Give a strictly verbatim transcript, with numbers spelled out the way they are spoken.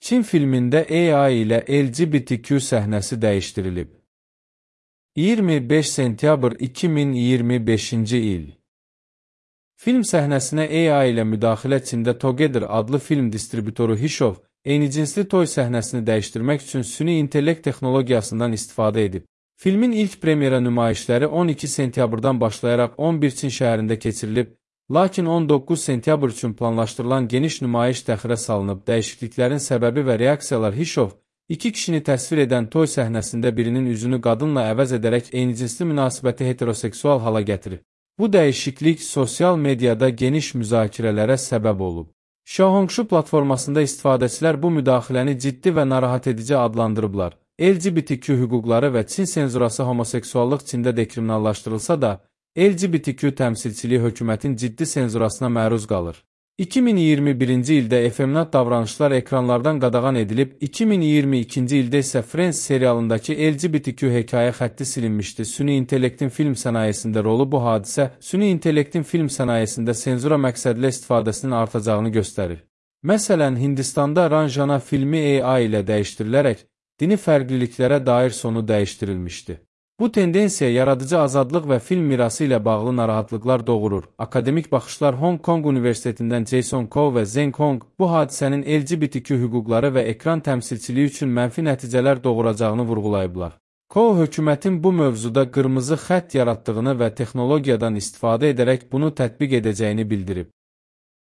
Çin filmində A I ilə L G B T Q səhnəsi dəyişdirilib. iyirmi beş sentyabr iki min iyirmi beşinci il. Film səhnəsinə A I ilə müdaxilə Çində Together adlı film distribütoru Hishov, eyni-cinsli toy səhnəsini dəyişdirmək üçün süni intellekt texnologiyasından istifadə edib. Filmin ilk premyera nümayişləri on iki sentyabrdan başlayaraq on bir Çin şəhərində keçirilib, lakin on doqquz sentyabr üçün planlaşdırılan geniş nümayiş təxirə salınıb. Dəyişikliklərin səbəbi və reaksiyalar Hishov, iki kişini təsvir edən toy səhnəsində birinin üzünü qadınla əvəz edərək eyni-cinsli münasibəti heteroseksual hala gətirib. Bu dəyişiklik sosial mediada geniş müzakirələrə səbəb olub. Xiaohongshu platformasında istifadəçilər bu müdaxiləni ciddi və narahat edici adlandırıblar. L G B T Q hüquqları və Çin senzurası homoseksuallıq Çində dekriminallaşdırılsa da, L G B T Q təmsilçiliyi hökumətin ciddi senzurasına məruz qalır. iki min iyirmi birinci ildə efeminat davranışlar ekranlardan qadağan edilib, iki min iyirmi ikinci ildə isə Friends serialındakı L G B T Q hekayə xətti silinmişdi. Süni intellektin film sənayesində rolu bu hadisə, süni intellektin film sənayesində senzura məqsədli istifadəsinin artacağını göstərir. Məsələn, Hindistanda Ranjana filmi A I ilə dəyişdirilərək, dini fərqliliklərə dair sonu dəyişdirilmişdi. Bu tendensiya yaradıcı azadlıq və film mirası ilə bağlı narahatlıqlar doğurur. Akademik baxışlar Hong Kong Universitetindən Jason Koh və Zeng Hong bu hadisənin L G B T Q hüquqları və ekran təmsilçiliyi üçün mənfi nəticələr doğuracağını vurğulayıblar. Koh hökumətin bu mövzuda qırmızı xətt yaratdığını və texnologiyadan istifadə edərək bunu tətbiq edəcəyini bildirib.